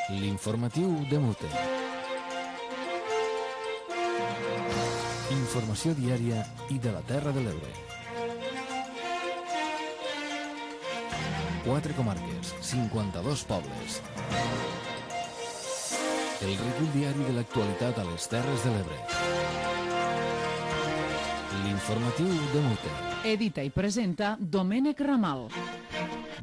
L'informatiu de Mute. Informació diària i de la Terra de l'Ebre. 4 comarques, 52 pobles. El recull diari de l'actualitat a les Terres de l'Ebre. L'informatiu de Mute. Edita i presenta Domènec Ramal.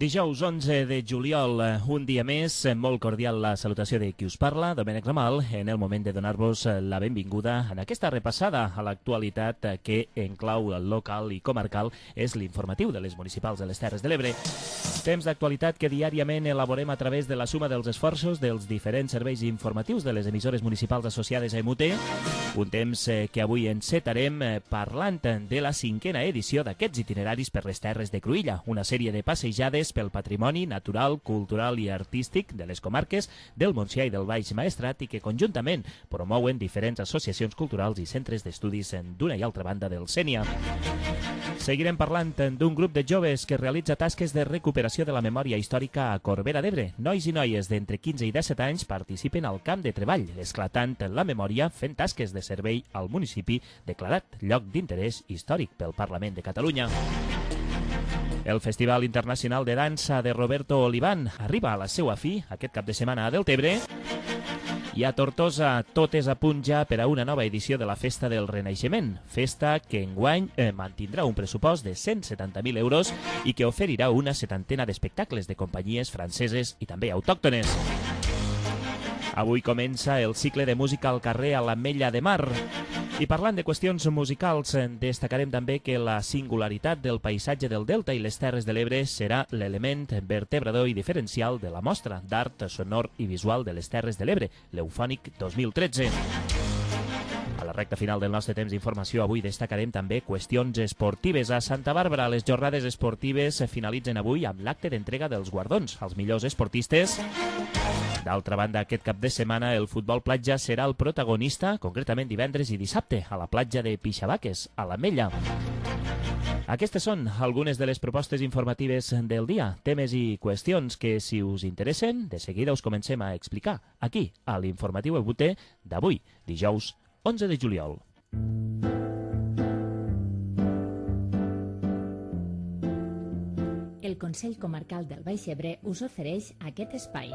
Dijous 11 de juliol, un dia més, molt cordial la salutació de qui us parla, Domènec Ramal, en el moment de donar-vos la benvinguda en aquesta repassada a l'actualitat que en clau local i comarcal és l'informatiu de les municipals de les Terres de l'Ebre. Temps d'actualitat que diàriament elaborem a través de la suma dels esforços dels diferents serveis informatius de les emissores municipals associades a MUT, un temps que avui encetarem parlant de la 5a edició d'aquests itineraris per les Terres de Cruïlla, una sèrie de passejades pel patrimoni natural, cultural i artístic de les comarques del Montsià i del Baix Maestrat i que conjuntament promouen diferents associacions culturals i centres d'estudis d'una i altra banda del Sénia. Seguirem parlant d'un grup de joves que realitza tasques de recuperació de la memòria històrica a Corbera d'Ebre. Nois i noies d'entre 15 i 17 anys participen al camp de treball, esclatant la memòria fent tasques de servei al municipi declarat lloc d'interès històric pel Parlament de Catalunya. El Festival Internacional de Dansa de Roberto Oliván arriba a la seva fi aquest cap de setmana a Deltebre i a Tortosa tot és a punt ja per a una nova edició de la Festa del Renaixement, festa que enguany mantindrà un pressupost de 170.000 euros i que oferirà una 70ena d'espectacles de companyies franceses i també autòctones. Avui comença el cicle de música al carrer a l'Ametlla de Mar. I parlant de qüestions musicals, destacarem també que la singularitat del paisatge del Delta i les Terres de l'Ebre serà l'element vertebrador i diferencial de la mostra d'art sonor i visual de les Terres de l'Ebre, l'Eufònic 2013. A la recta final del nostre temps d'informació avui destacarem també qüestions esportives. A Santa Bàrbara les jornades esportives finalitzen avui amb l'acte d'entrega dels guardons als millors esportistes. D'altra banda, aquest cap de setmana el futbol platja serà el protagonista, concretament divendres i dissabte, a la platja de Pixabaques, a l'Ametlla. Aquestes són algunes de les propostes informatives del dia, temes i qüestions que, si us interessen, de seguida us comencem a explicar aquí, a l'informatiu EBUT d'avui, dijous 11 de juliol. El Consell Comarcal del Baix Ebre us ofereix aquest espai.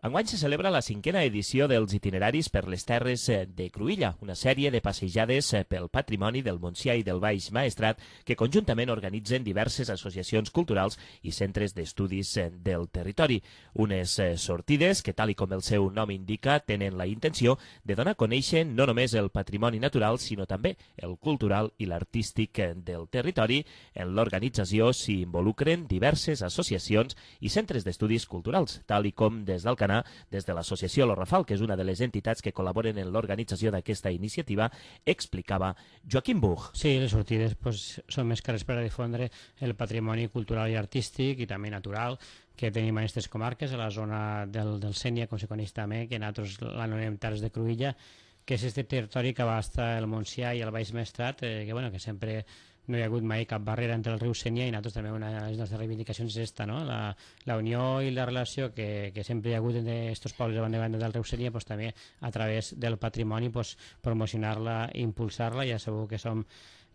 Enguany se celebra la 5a edició dels itineraris per les Terres de Cruïlla, una sèrie de passejades pel patrimoni del Montsià i del Baix Maestrat que conjuntament organitzen diverses associacions culturals i centres d'estudis del territori. Unes sortides que, tal i com el seu nom indica, tenen la intenció de donar a conèixer no només el patrimoni natural, sinó també el cultural i l'artístic del territori. En l'organització s'hi involucren diverses associacions i centres d'estudis culturals, tal i com des del Canà, des de l'associació Lo Rafal, que és una de les entitats que col·laboren en l'organització d'aquesta iniciativa, explicava Joaquim Buch. Sí, les sortides són més cares per a difondre el patrimoni cultural i artístic i també natural que tenim en aquestes comarques, a la zona del Sénia, com se coneix també, que nosaltres l'anomenem Terres de Cruïlla, que és aquest territori que abasta el Montsià i el Baix Maestrat, que sempre no hi ha hagut mai cap barrera entre el riu Sénia i nosaltres també una de les nostres reivindicacions és esta, no? La unió i la relació que sempre hi ha hagut entre aquests pobles de banda del riu Sénia, també a través del patrimoni promocionar-la i impulsar-la. Ja sabeu que som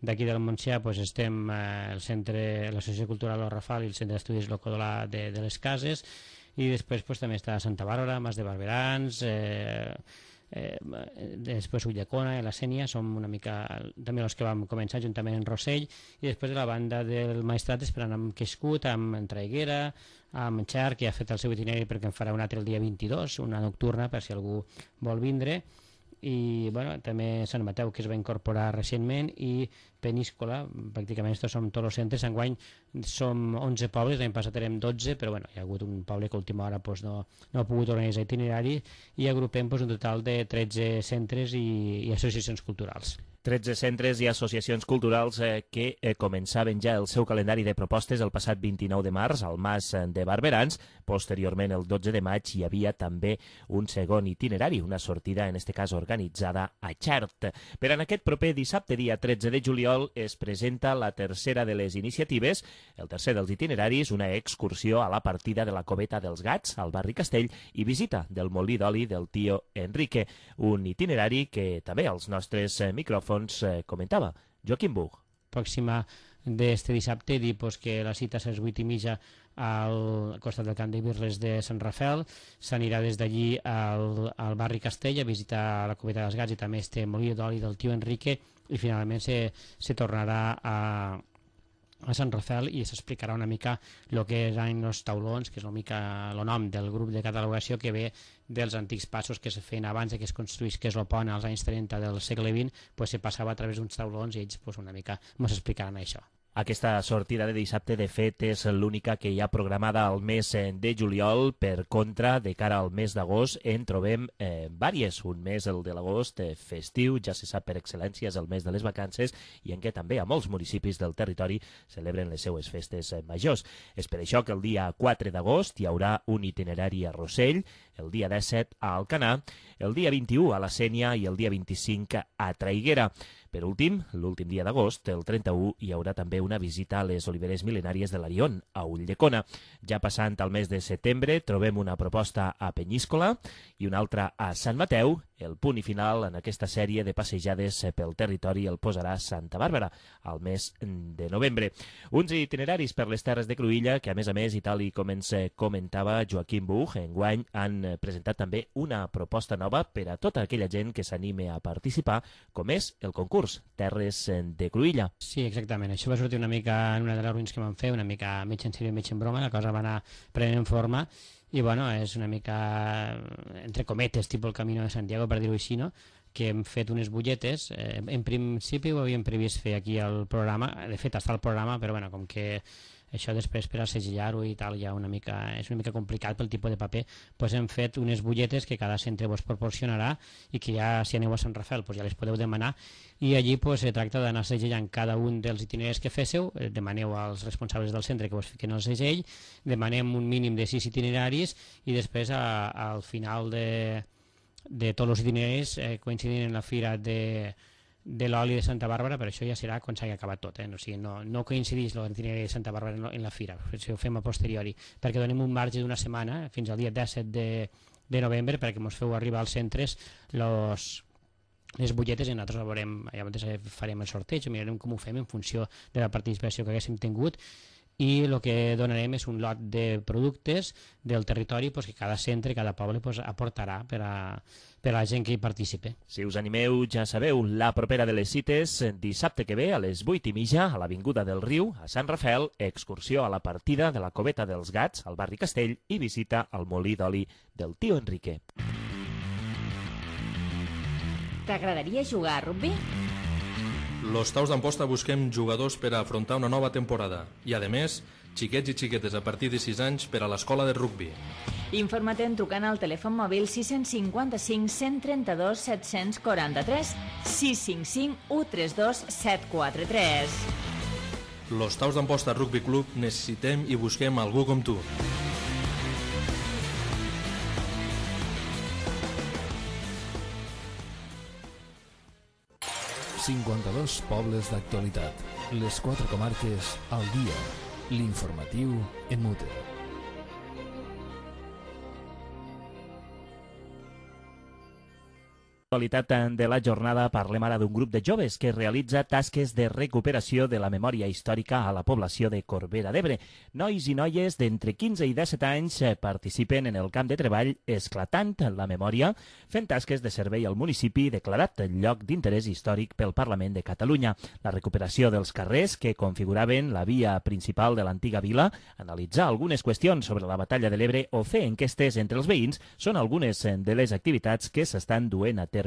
d'aquí del Montsià, estem al centre, l'associació cultural Lo Rafal i el centre d'estudis Locodolà de les Cases, i després també està Santa Bàrbara, Mas de Barberans, després Ullacona i la Sénia, som una mica també els que vam començar juntament en Rossell, i després de la banda del Maestrat esperant amb Quiscut, amb Traiguera, amb Xer, que ha fet el seu itinerari perquè en farà un altre el dia 22, una nocturna per si algú vol vindre, i també Sant Mateu, que es va incorporar recentment, i Peníscola. Pràcticament estos som tots els centres. Enguany som 11 pobles, l'any passat érem 12, però hi ha hagut un poble que a última hora no ha pogut organitzar itinerari, i agrupem un total de 13 centres i associacions culturals. 13 centres i associacions culturals que començaven ja el seu calendari de propostes el passat 29 de març al Mas de Barberans. Posteriorment, el 12 de maig, hi havia també un segon itinerari, una sortida, en este cas organitzada a Xert. Per en aquest proper dissabte, dia 13 de juliol, es presenta la tercera de les iniciatives, el tercer dels itineraris, una excursió a la partida de la Coveta dels Gats, al barri Castell, i visita del molí d'oli del tio Enrique, un itinerari que també als nostres micròfons comentava Joaquim Buch. Pròxima d'este dissabte, dir que la cita és a les 8:30 al costat del camp de Birles de Sant Rafel. S'anirà des d'allí al barri Castell a visitar la Coveta dels Gats i també este molí d'oli del tio Enrique, i finalment se tornarà a Sant Rafel i s'explicarà una mica el que eren els taulons, que és una mica el nom del grup de catalogació que ve dels antics passos que se feien abans que es construís, que és el pont als anys 30 del segle XX, se passava a través d'uns taulons i ells una mica ens explicaran això. Aquesta sortida de dissabte, de fet, és l'única que hi ha programada al mes de juliol. Per contra, de cara al mes d'agost, en trobem vàries. Un mes, el de l'agost, festiu, ja se sap per excel·lència, és el mes de les vacances, i en què també a molts municipis del territori celebren les seues festes majors. És per això que el dia 4 d'agost hi haurà un itinerari a Rossell, el dia 17 a Alcanar, el dia 21 a la Sénia i el dia 25 a Traiguera. Per últim, l'últim dia d'agost, el 31, hi haurà també una visita a les oliveres mil·lenàries de l'Arion, a Ulldecona. Ja passant al mes de setembre, trobem una proposta a Penyíscola i una altra a Sant Mateu. El punt i final en aquesta sèrie de passejades pel territori el posarà Santa Bàrbara, al mes de novembre. Uns itineraris per les terres de Cruïlla que, a més, i tal i com ens comentava Joaquim Buch, enguany han presentat també una proposta nova per a tota aquella gent que s'anime a participar, com és el concurs Terres de Cruïlla. Sí, exactament. Això va sortir una mica en una de les reunions que vam fer, una mica mig en sèrio i mig en broma, la cosa va anar prenent forma i bueno, és una mica entre cometes, tipus el Camino de Santiago, per dir-ho així, no? Que hem fet unes butlletes. En principi ho havíem previst fer aquí al programa, de fet està al programa, però bueno, com que això després per a segellar-ho i tal ja és una mica complicat pel tipus de paper, doncs hem fet unes butlletes que cada centre vos proporcionarà i que ja si aneu a Sant Rafel ja les podeu demanar, i allí se tracta d'anar segellant cada un dels itineraris que féssiu. Demaneu als responsables del centre que vos fiquen el segell, demanem un mínim de 6 itineraris i després al final de tots els itineraris coincidint en la fira de l'oli de Santa Bàrbara, però això ja serà quan s'hagi acabat tot, o sigui, no coincideix l'itinerari de Santa Bàrbara en la fira, si ho fem a posteriori, perquè donem un marge d'una setmana fins al dia 17 de novembre perquè ens feu arribar als centres les butlletes i nosaltres veurem, ja farem el sorteig, mirarem com ho fem en funció de la participació que haguéssim tingut, i el que donarem és un lot de productes del territori que cada centre, cada poble aportarà per a la gent que hi participe. Si us animeu, ja sabeu, la propera de les cites, dissabte que ve a les 8:30 a l'Avinguda del Riu, a Sant Rafel, excursió a la partida de la Coveta dels Gats, al barri Castell, i visita al molí d'oli del tio Enrique. T'agradaria jugar a rugbi? Los Taus d'Amposta busquem jugadors per a afrontar una nova temporada i, a més, xiquets i xiquetes a partir de 6 anys per a l'escola de rugbi. Informa't trucant al telèfon mòbil 655 132 743 655 132 743. Los Taus d'Amposta Rugby Club necessitem i busquem algú com tu. ...52 pobles d'actualitat. Les 4 comarques al dia. L'informatiu en Mute. L'actualitat de la jornada parlem ara d'un grup de joves que realitza tasques de recuperació de la memòria històrica a la població de Corbera d'Ebre. Nois i noies d'entre 15 i 17 anys participen en el camp de treball Esclatant la Memòria, fent tasques de servei al municipi declarat lloc d'interès històric pel Parlament de Catalunya. La recuperació dels carrers que configuraven la via principal de l'antiga vila, analitzar algunes qüestions sobre la batalla de l'Ebre o fer enquestes entre els veïns són algunes de les activitats que s'estan duent a terme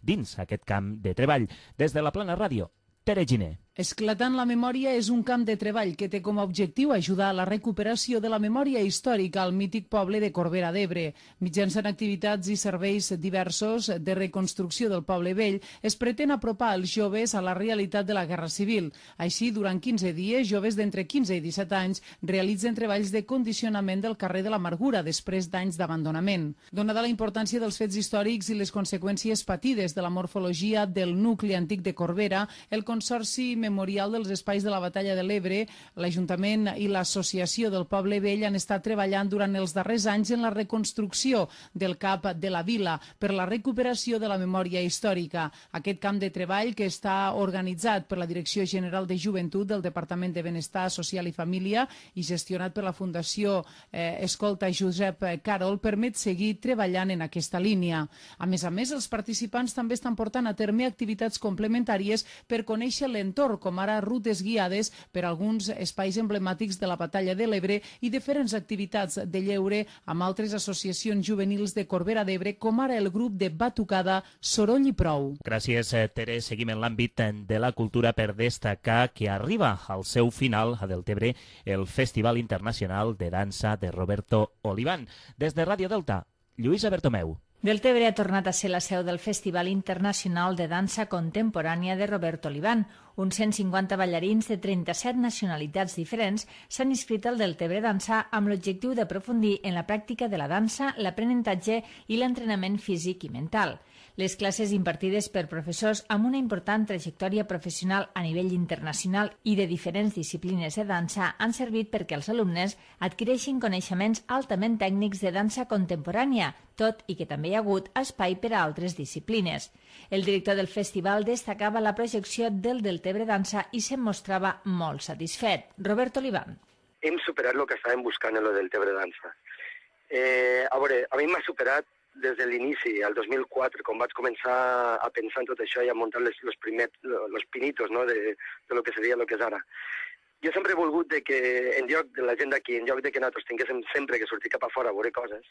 dins aquest camp de treball. Des de la Plana Ràdio, Tere Giner. Esclatant la memòria és un camp de treball que té com a objectiu ajudar a la recuperació de la memòria històrica al mític poble de Corbera d'Ebre. Mitjançant activitats i serveis diversos de reconstrucció del poble vell, es pretén apropar els joves a la realitat de la Guerra Civil. Així, durant 15 dies, joves d'entre 15 i 17 anys realitzen treballs de condicionament del carrer de l'Amargura després d'anys d'abandonament. Donada la importància dels fets històrics i les conseqüències patides de la morfologia del nucli antic de Corbera, el Consorci Memorial dels Espais de la Batalla de l'Ebre, l'Ajuntament i l'Associació del Poble Vell han estat treballant durant els darrers anys en la reconstrucció del CAP de la vila per la recuperació de la memòria històrica. Aquest camp de treball, que està organitzat per la Direcció General de Joventut del Departament de Benestar Social i Família i gestionat per la Fundació Escolta Josep Carol, permet seguir treballant en aquesta línia. A més, els participants també estan portant a terme activitats complementàries per conèixer l'entorn, com ara rutes guiades per alguns espais emblemàtics de la Batalla de l'Ebre i diferents activitats de lleure amb altres associacions juvenils de Corbera d'Ebre, com ara el grup de batucada Soroll i Prou. Gràcies, Tere. Seguim en l'àmbit de la cultura per destacar que arriba al seu final a Deltebre el Festival Internacional de Dansa de Roberto Oliván. Des de Ràdio Delta, Lluïsa Bertomeu. Deltebre ha tornat a ser la seu del Festival Internacional de Dansa Contemporània de Roberto Oliván. Uns 150 ballarins de 37 nacionalitats diferents s'han inscrit al Deltebre Dansa amb l'objectiu d'aprofundir en la pràctica de la dansa, l'aprenentatge i l'entrenament físic i mental. Les classes impartides per professors amb una important trajectòria professional a nivell internacional i de diferents disciplines de dansa han servit perquè els alumnes adquireixin coneixements altament tècnics de dansa contemporània, tot i que també hi ha hagut espai per a altres disciplines. El director del festival destacava la projecció del Deltebre Dansa i se'n mostrava molt satisfet. Roberto Oliván. Hem superat el que estàvem buscant en el Deltebre Dansa. A mi m'ha superat des de l'inici, el 2004, quan vaig començar a pensar en tot això i a muntar los pinitos, no, de lo que seria lo que és ara. Jo sempre he volgut que en lloc de la gent d'aquí, en lloc de que nosaltres tinguéssim sempre que sortir cap a fora a veure coses,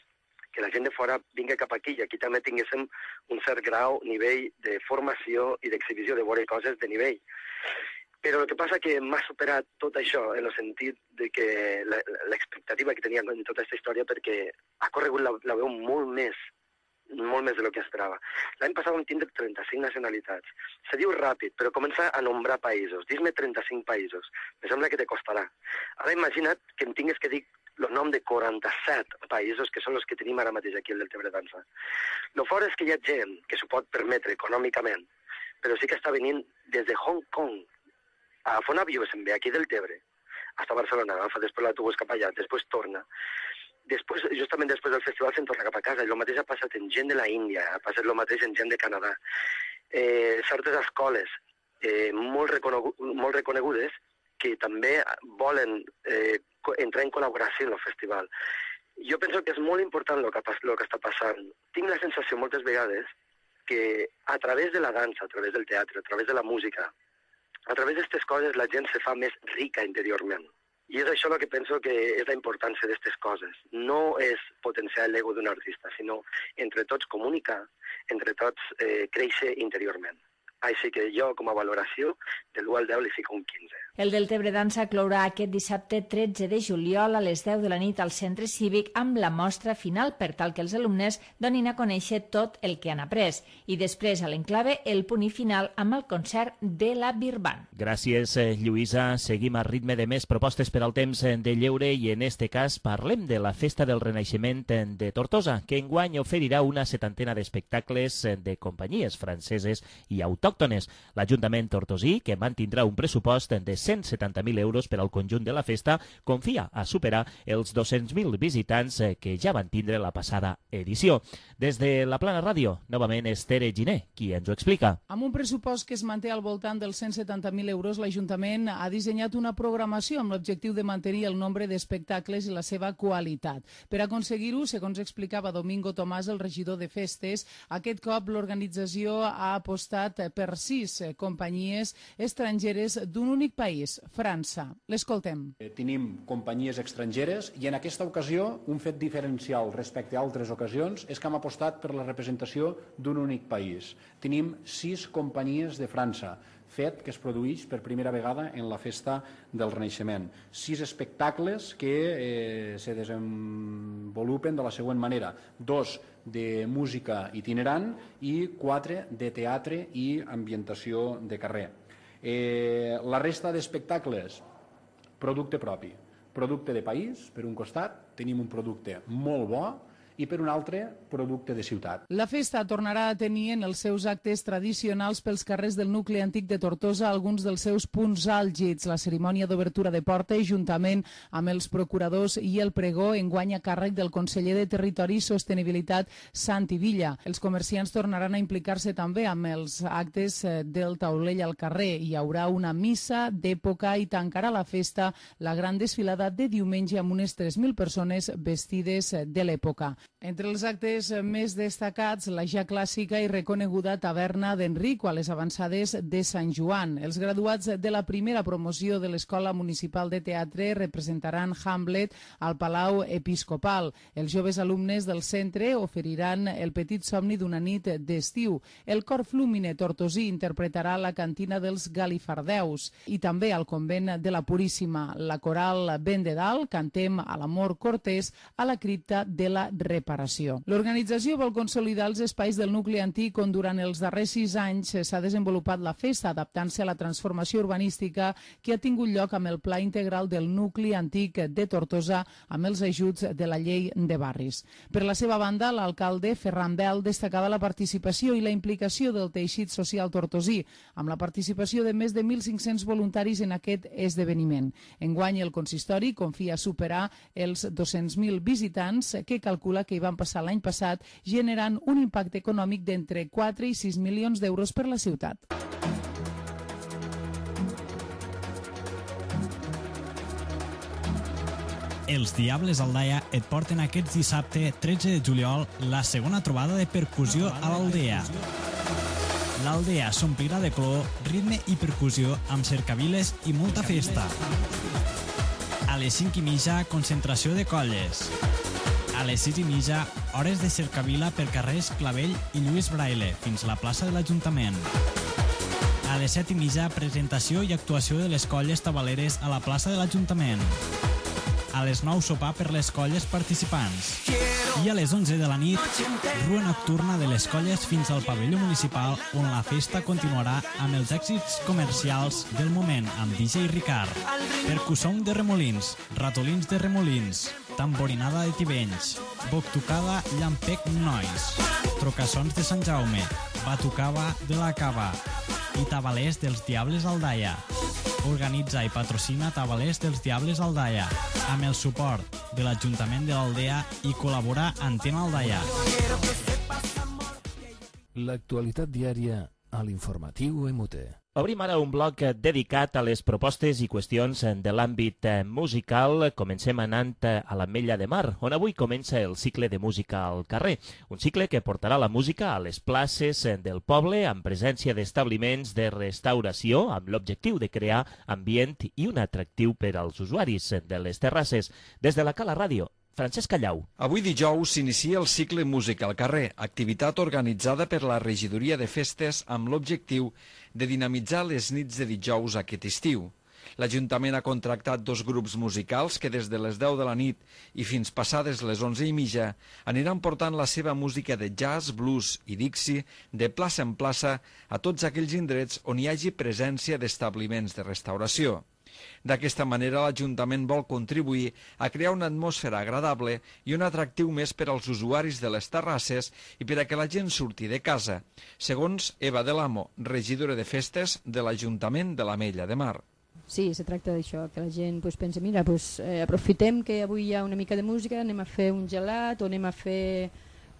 que la gent de fora vingui cap aquí i aquí també tinguéssim un cert grau, nivell de formació i d'exhibició de veure coses de nivell. Però el que passa que m'ha superat tot això en el sentit de que l'expectativa que tenia en tota aquesta història, perquè ha corregut la veu molt més de lo que esperava. L'any passat vam tindre 35 nacionalitats. Se diu ràpid, però comença a nombrar països. Dis-me 35 països. Me sembla que te costarà. Ara imagina't que em tingués que dir el nom de 47 països que són els que tenim ara mateix aquí al Deltebre Dansa. Lo fort és que hi ha gent que s'ho pot permetre econòmicament, però sí que està venint des de Hong Kong. Agafa un avió, se'n ve aquí del Tebre, hasta Barcelona, agafa després l'autobús cap allà, després torna. Després, justament després del festival, se'n torna cap a casa. I el mateix ha passat en gent de la Índia, ha passat el mateix en gent de Canadà. Certes escoles molt reconegudes que també volen entrar en col·laboració en el festival. Jo penso que és molt important el que està passant. Tinc la sensació moltes vegades que a través de la dansa, a través del teatre, a través de la música, a través d'aquestes coses la gent se fa més rica interiorment. I és això el que penso que és la importància d'aquestes coses. No és potenciar l'ego d'un artista, sinó entre tots comunicar, entre tots créixer interiorment. Així que jo, com a valoració, de l'1 al 10 li fico un 15. El Deltebre Dansa clourà aquest dissabte 13 de juliol a les 10 de la nit al Centre Cívic amb la mostra final per tal que els alumnes donin a conèixer tot el que han après. I després, a l'enclave, el punt i final amb el concert de la Birban. Gràcies, Lluïsa. Seguim a ritme de més propostes per al temps de lleure i en este cas parlem de la Festa del Renaixement de Tortosa, que enguany oferirà una 70ena d'espectacles de companyies franceses i autòctones. L'Ajuntament tortosí, que mantindrà un pressupost de 170.000 euros per al conjunt de la festa, confia a superar els 200.000 visitants que ja van tindre la passada edició. Des de la Plana Ràdio, novament és Tere Giner, qui ens ho explica. Amb un pressupost que es manté al voltant dels 170.000 euros, l'Ajuntament ha dissenyat una programació amb l'objectiu de mantenir el nombre d'espectacles i la seva qualitat. Per aconseguir-ho, segons explicava Domingo Tomàs, el regidor de festes, aquest cop l'organització ha apostat per 6 companyies estrangeres d'un únic país, França. L'escoltem. Tenim companyies estrangeres i en aquesta ocasió un fet diferencial respecte a altres ocasions és que hem apostat per la representació d'un únic país. Tenim 6 companyies de França. fet que es produeix per primera vegada en la festa del Renaixement. 6 espectacles que se desenvolupen de la següent manera: 2 de música itinerant i 4 de teatre i ambientació de carrer. La resta d'espectacles, producte propi, producte de país. Per un costat tenim un producte molt bo i per un altre, producte de ciutat. La festa tornarà a tenir en els seus actes tradicionals pels carrers del nucli antic de Tortosa alguns dels seus punts àlgids. La cerimònia d'obertura de porta, juntament amb els procuradors i el pregó, enguany a càrrec del conseller de Territori i Sostenibilitat, Santi Villa. Els comerciants tornaran a implicar-se també amb els actes del taulell al carrer. Hi haurà una missa d'època i tancarà la festa la gran desfilada de diumenge amb unes 3.000 persones vestides de l'època. Entre els actes més destacats, la ja clàssica i reconeguda taverna d'Enrico a les avançades de Sant Joan. Els graduats de la primera promoció de l'Escola Municipal de Teatre representaran Hamlet al Palau Episcopal. Els joves alumnes del centre oferiran el petit somni d'una nit d'estiu. El cor Flúmine tortosí interpretarà la cantina dels Galifardeus i també al convent de la Puríssima. La coral Ben de Dalt, Cantem a l'amor cortés a la cripta de la Reparació. L'organització vol consolidar els espais del nucli antic on durant els darrers 6 anys s'ha desenvolupat la festa, adaptant-se a la transformació urbanística que ha tingut lloc amb el Pla Integral del Nucli Antic de Tortosa amb els ajuts de la Llei de Barris. Per la seva banda, l'alcalde Ferran Bel destacava la participació i la implicació del teixit social tortosí, amb la participació de més de 1.500 voluntaris en aquest esdeveniment. Enguany, el consistori confia superar els 200.000 visitants que calcula que hi van passar l'any passat, generant un impacte econòmic d'entre 4 i 6 milions d'euros per la ciutat. Els Diables Aldaia et porten aquest dissabte 13 de juliol la segona trobada de percussió a l'Aldea. L'Aldea s'omplirà de color, ritme i percussió amb cercaviles i molta festa. A les 5:30, concentració de colles. A les 6:30, hores de cercavila per carrers Clavell i Lluís Braille fins a la plaça de l'Ajuntament. A les 7:30, presentació i actuació de les colles tabaleres a la plaça de l'Ajuntament. A les 9, sopar per les colles participants. I a les 11 de la nit, rua nocturna de les colles fins al pavelló municipal, on la festa continuarà amb els èxits comercials del moment amb DJ Ricard, percussón de Remolins, ratolins de Remolins, tamborinada de Tivenys, boctucada Llampec Nois, trocassons de Sant Jaume, batucava de la Cava i tabalers dels Diables Aldaia. Organitza i patrocina Tabalers dels Diables Aldaia, amb el suport de l'Ajuntament de l'Aldea i col·labora Antena Aldaia. L'actualitat diària a l'informatiu MUT. Obrim ara un bloc dedicat a les propostes i qüestions de l'àmbit musical. Comencem anant a l'Ametlla de Mar, on avui comença el cicle de música al carrer. Un cicle que portarà la música a les places del poble amb presència d'establiments de restauració amb l'objectiu de crear ambient i un atractiu per als usuaris de les terrasses. Des de la Cala Ràdio, Francesc Callau. Avui dijous s'inicia el cicle Música al carrer, activitat organitzada per la Regidoria de Festes amb l'objectiu de dinamitzar les nits de dijous aquest estiu. L'Ajuntament ha contractat 2 grups musicals que des de les 10 de la nit i fins passades les 11:30 aniran portant la seva música de jazz, blues i dixie de plaça en plaça a tots aquells indrets on hi hagi presència d'establiments de restauració. D'aquesta manera, l'Ajuntament vol contribuir a crear una atmosfera agradable i un atractiu més per als usuaris de les terrasses i per a que la gent surti de casa, segons Eva de l'Amo, regidora de Festes de l'Ajuntament de l'Ametlla de Mar. Sí, se tracta d'això, que la gent pensa, mira, aprofitem que avui hi ha una mica de música, anem a fer un gelat o anem a fer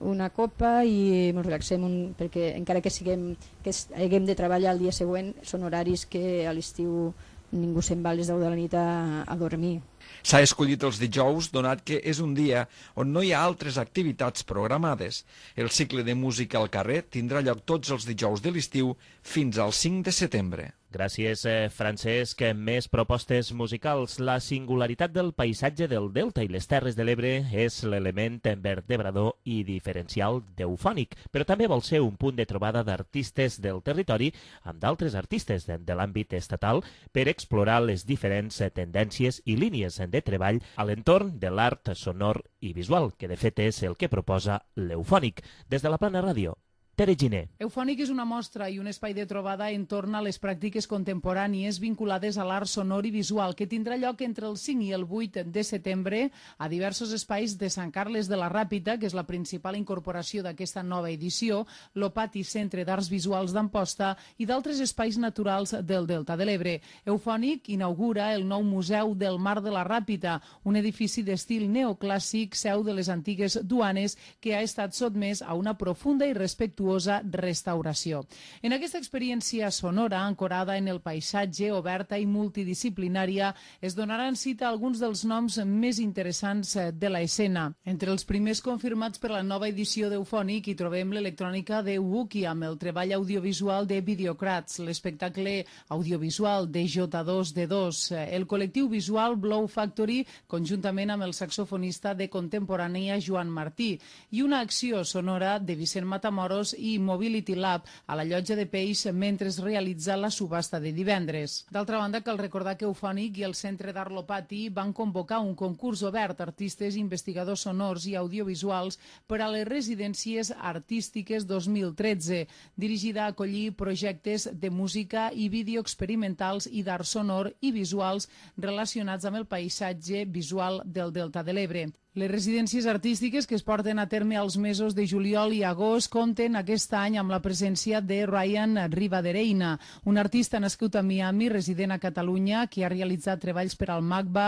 una copa i ens relaxem, perquè encara que haguem de treballar el dia següent, són horaris que a l'estiu ningú se'n va a les 10 de la nit a dormir. S'ha escollit els dijous donat que és un dia on no hi ha altres activitats programades. El cicle de música al carrer tindrà lloc tots els dijous de l'estiu fins al 5 de setembre. Gràcies, Francesc. Més propostes musicals. La singularitat del paisatge del Delta i les Terres de l'Ebre és l'element vertebrador i diferencial d'Eufònic, però també vol ser un punt de trobada d'artistes del territori amb d'altres artistes de l'àmbit estatal per explorar les diferents tendències i línies de treball a l'entorn de l'art sonor i visual, que de fet és el que proposa l'Eufònic. Des de la Plana Ràdio, Tere Giner. Eufònic és una mostra i un espai de trobada entorn a les pràctiques contemporànies vinculades a l'art sonor i visual que tindrà lloc entre el 5 i el 8 de setembre a diversos espais de Sant Carles de la Ràpita, que és la principal incorporació d'aquesta nova edició, l'Opati Centre d'Arts Visuals d'Amposta i d'altres espais naturals del Delta de l'Ebre. Eufònic inaugura el nou Museu del Mar de la Ràpita, un edifici d'estil neoclàssic, seu de les antigues duanes, que ha estat sotmès a una profunda i respectuosa restauració. En aquesta experiència sonora, ancorada en el paisatge, oberta i multidisciplinària, es donaran cita a alguns dels noms més interessants de l'escena. Entre els primers confirmats per la nova edició d'Eufònic hi trobem l'electrònica de Wookie amb el treball audiovisual de Videocrats, l'espectacle audiovisual de J2D2, el col·lectiu visual Blow Factory, conjuntament amb el saxofonista de contemporània Joan Martí, i una acció sonora de Vicent Matamoros i Mobility Lab a la Llotja de Peix mentre es realitza la subhasta de divendres. D'altra banda, cal recordar que Eufònic i el Centre d'Art Lopati van convocar un concurs obert a artistes i investigadors sonors i audiovisuals per a les residències artístiques 2013, dirigida a acollir projectes de música i vídeo experimentals i d'art sonor i visuals relacionats amb el paisatge visual del Delta de l'Ebre. Les residències artístiques que es porten a terme als mesos de juliol i agost compten aquest any amb la presència de Ryan Rivadereina, un artista nascut a Miami, resident a Catalunya, que ha realitzat treballs per al MACBA,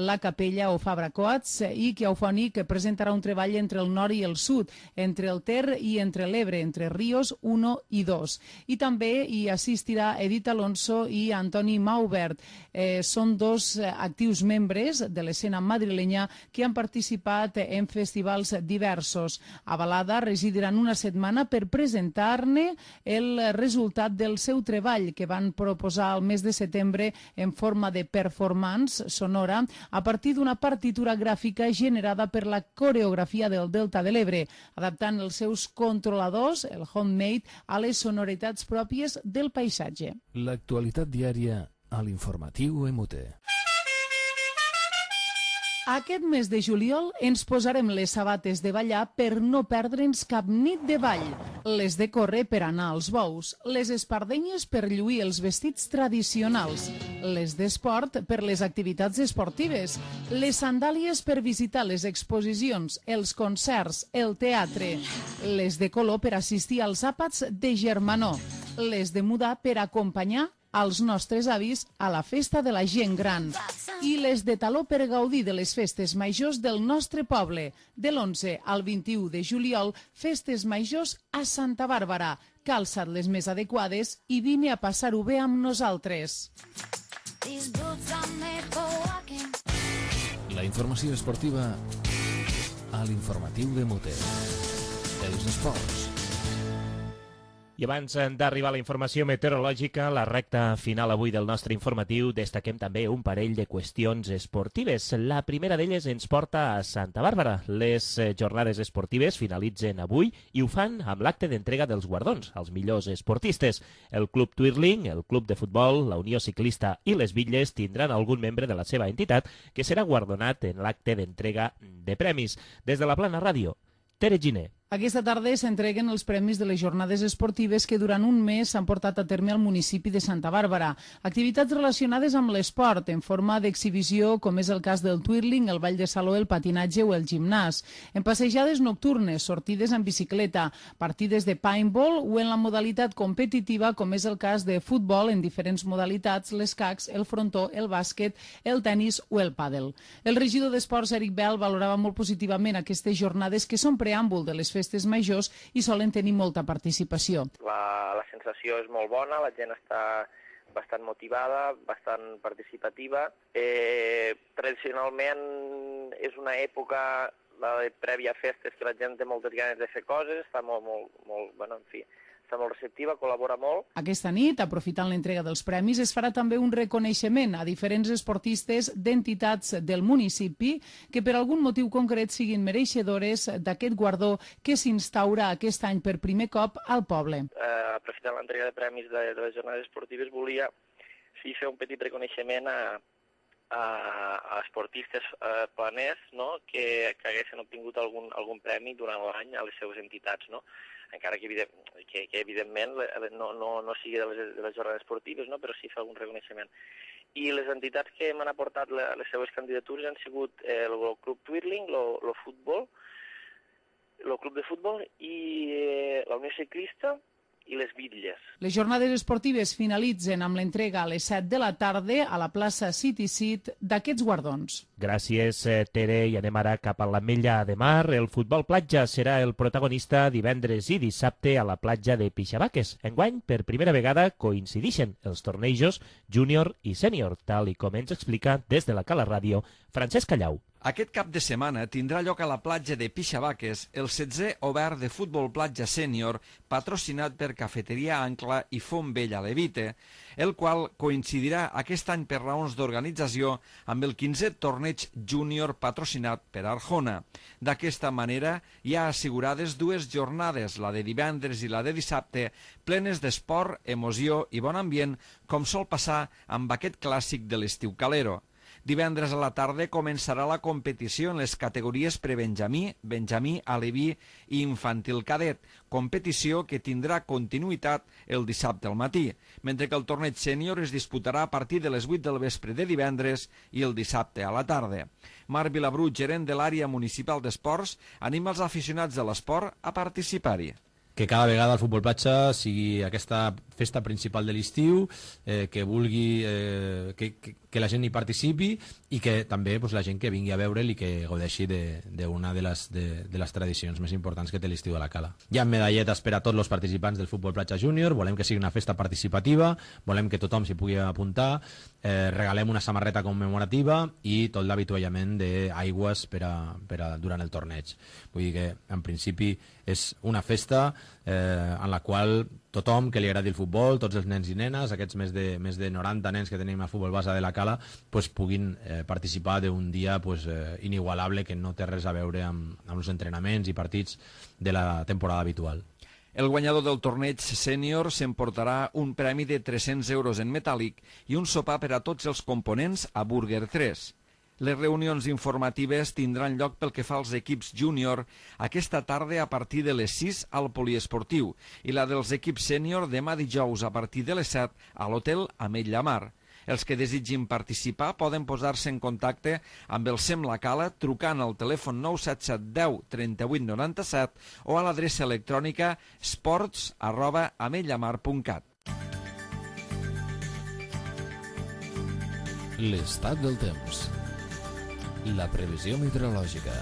la Capella o Fabra Coats i que a Eufònic presentarà un treball entre el nord i el sud, entre el Ter i entre l'Ebre, entre Ríos 1 i 2. I també hi assistirà Edith Alonso i Antoni Maubert. Són dos actius membres de l'escena madrilenya que han participat en festivals diversos. A Balada residiran una setmana per presentar-ne el resultat del seu treball que van proposar al mes de setembre en forma de performance sonora a partir d'una partitura gràfica generada per la coreografia del Delta de l'Ebre, adaptant els seus controladors, el homemade, a les sonoritats pròpies del paisatge. L'actualitat diària a l'informatiu EMUTE. Aquest mes de juliol ens posarem les sabates de ballar per no perdre'ns cap nit de ball, les de córrer per anar als bous, les espardenyes per lluir els vestits tradicionals, les d'esport per les activitats esportives, les sandàlies per visitar les exposicions, els concerts, el teatre, les de color per assistir als àpats de germanor, les de mudar per acompanyar als nostres avis a la festa de la gent gran i les de taló per gaudir de les festes majors del nostre poble. De l'11 al 21 de juliol, festes majors a Santa Bàrbara. Calça't les més adequades i vine a passar-ho bé amb nosaltres. La informació esportiva a l'informatiu d'EMUTE. Els esports. I abans d'arribar a la informació meteorològica, la recta final avui del nostre informatiu, destaquem també un parell de qüestions esportives. La primera d'elles ens porta a Santa Bàrbara. Les jornades esportives finalitzen avui i ho fan amb l'acte d'entrega dels guardons als millors esportistes. El Club Twirling, el Club de Futbol, la Unió Ciclista i les Bitlles tindran algun membre de la seva entitat que serà guardonat en l'acte d'entrega de premis. Des de la Plana Ràdio, Tere Giner. Aquesta tarda s'entreguen els premis de les jornades esportives que durant un mes s'han portat a terme al municipi de Santa Bàrbara. Activitats relacionades amb l'esport, en forma d'exhibició, com és el cas del twirling, el ball de saló, el patinatge o el gimnàs. En passejades nocturnes, sortides en bicicleta, partides de paintball o en la modalitat competitiva, com és el cas de futbol en diferents modalitats, l'escacs, el frontó, el bàsquet, el tennis o el pàdel. El regidor d'Esports, Eric Bell, valorava molt positivament aquestes jornades que són preàmbul de les festes majors i solen tenir molta participació. La sensació és molt bona, la gent està bastant motivada, bastant participativa. Tradicionalment és una època, la de prèvia a festes, que la gent té moltes ganes de fer coses, està està molt receptiva, col·labora molt. Aquesta nit, aprofitant l'entrega dels premis, es farà també un reconeixement a diferents esportistes d'entitats del municipi que per algun motiu concret siguin mereixedores d'aquest guardó que s'instaura aquest any per primer cop al poble. Aprofitant l'entrega de premis de les jornades esportives, volia fer un petit reconeixement a esportistes planers, no?, que haguessin obtingut algun premi durant l'any a les seves entitats, no?, encara que evidentment no sigui de les jornades esportives, no?, però sí fer algun reconeixement. I les entitats que m'han aportat les seves candidatures han sigut el Club Twirling, el Club de Futbol i la Unió Ciclista i les Bitlles. Les jornades esportives finalitzen amb l'entrega a les 7 de la tarda a la plaça City Seat d'aquests guardons. Gràcies, Tere, i anem ara cap a l'Ametlla de Mar. El futbol platja serà el protagonista divendres i dissabte a la platja de Pixabaques. Enguany, per primera vegada, coincideixen els tornejos júnior i sènior, tal i com ens explica des de la Cala Ràdio Francesc Callau. Aquest cap de setmana tindrà lloc a la platja de Pixabaques el 16è obert de futbol platja sènior patrocinat per Cafeteria Ancla i Font Vella Levite, el qual coincidirà aquest any per raons d'organització amb el 15è torneig júnior patrocinat per Arjona. D'aquesta manera hi ha assegurades dues jornades, la de divendres i la de dissabte, plenes d'esport, emoció i bon ambient, com sol passar amb aquest clàssic de l'estiu calero. Divendres a la tarda començarà la competició en les categories prebenjamí, benjamí, aleví i infantil cadet, competició que tindrà continuïtat el dissabte al matí, mentre que el torneig sènior es disputarà a partir de les 8 del vespre de divendres i el dissabte a la tarda. Marc Vilabrú, gerent de l'àrea municipal d'esports, anima els aficionats de l'esport a participar-hi. Que cada vegada el futbol platja sigui aquesta festa principal de l'estiu, que vulgui que la gent hi participi i que també la gent que vingui a veure'l i que gaudeixi d'una de les tradicions més importants que té l'estiu de la Cala. Hi ha medalletes per a tots els participants del futbol platja júnior, volem que sigui una festa participativa, volem que tothom s'hi pugui apuntar, regalem una samarreta commemorativa i tot l'avituallament d'aigües durant el torneig. Vull dir que en principi és una festa en la qual tothom que li agradi el futbol, tots els nens i nenes, aquests més de 90 nens que tenim al futbol base de la Cala, puguin participar d'un dia inigualable que no té res a veure amb els entrenaments i partits de la temporada habitual. El guanyador del torneig sènior s'emportarà un premi de 300 euros en metàl·lic i un sopar per a tots els components a Burger 3. Les reunions informatives tindran lloc pel que fa als equips júnior aquesta tarda a partir de les 6 al poliesportiu i la dels equips sènior demà dijous a partir de les 7 a l'hotel Ametlla Mar. Els que desitgin participar poden posar-se en contacte amb el SEM La Cala trucant al telèfon 977 10 38 97 o a l'adreça electrònica sports@ametllamar.cat. L'estat del temps. La previsió meteorològica.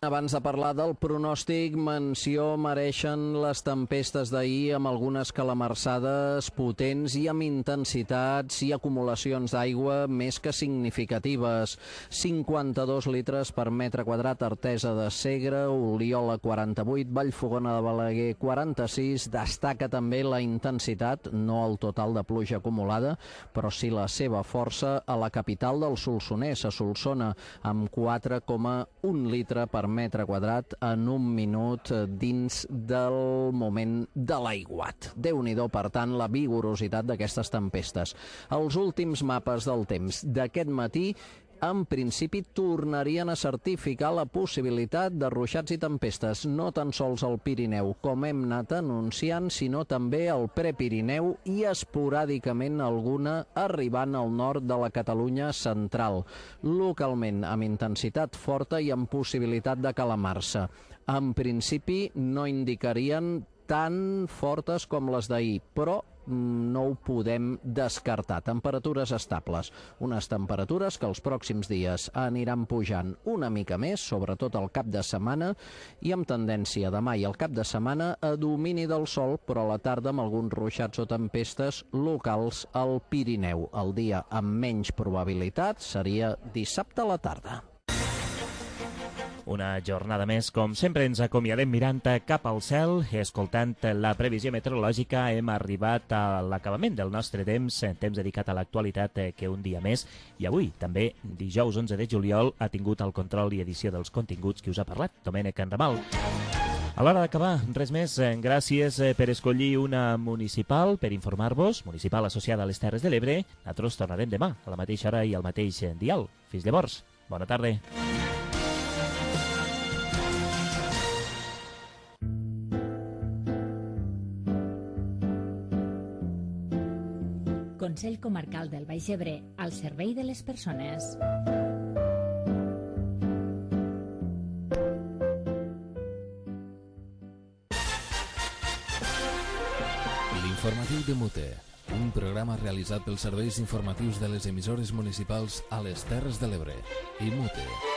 Abans de parlar del pronòstic, menció mereixen les tempestes d'ahir amb algunes calamarsades potents i amb intensitats i acumulacions d'aigua més que significatives. 52 litres per metre quadrat, Artesa de Segre, Oliola 48, Vallfogona de Balaguer 46. Destaca també la intensitat, no el total de pluja acumulada, però sí la seva força a la capital del Solsonès, a Solsona, amb 4,1 litre per metre quadrat en un minut dins del moment de l'aiguat. Déu-n'hi-do, per tant, la vigorositat d'aquestes tempestes. Els últims mapes del temps d'aquest matí en principi tornarien a certificar la possibilitat de ruixats i tempestes, no tan sols al Pirineu, com hem anat anunciant, sinó també al Prepirineu i esporàdicament alguna arribant al nord de la Catalunya central, localment amb intensitat forta i amb possibilitat de calamar-se. En principi no indicarien tan fortes com les d'ahir, però no ho podem descartar. Temperatures estables, unes temperatures que els pròxims dies aniran pujant una mica més, sobretot al cap de setmana, i amb tendència demà i al cap de setmana a domini del sol, però a la tarda amb alguns ruixats o tempestes locals al Pirineu. El dia amb menys probabilitat seria dissabte a la tarda. Una jornada més, com sempre ens acomiadem mirant cap al cel, escoltant la previsió meteorològica. Hem arribat a l'acabament del nostre temps dedicat a l'actualitat, que un dia més, i avui també, dijous 11 de juliol, ha tingut el control i edició dels continguts qui us ha parlat, Domènec Enramal. A l'hora d'acabar, res més. Gràcies per escollir una municipal, per informar-vos, municipal associada a les Terres de l'Ebre. Nosaltres tornarem demà, a la mateixa hora i al mateix dial. Fins llavors, bona tarda. Consell Comarcal del Baix Ebre, al servei de les persones. L'informatiu de Mute, un programa realitzat pels serveis informatius de les emissores municipals a les Terres de l'Ebre i Mute.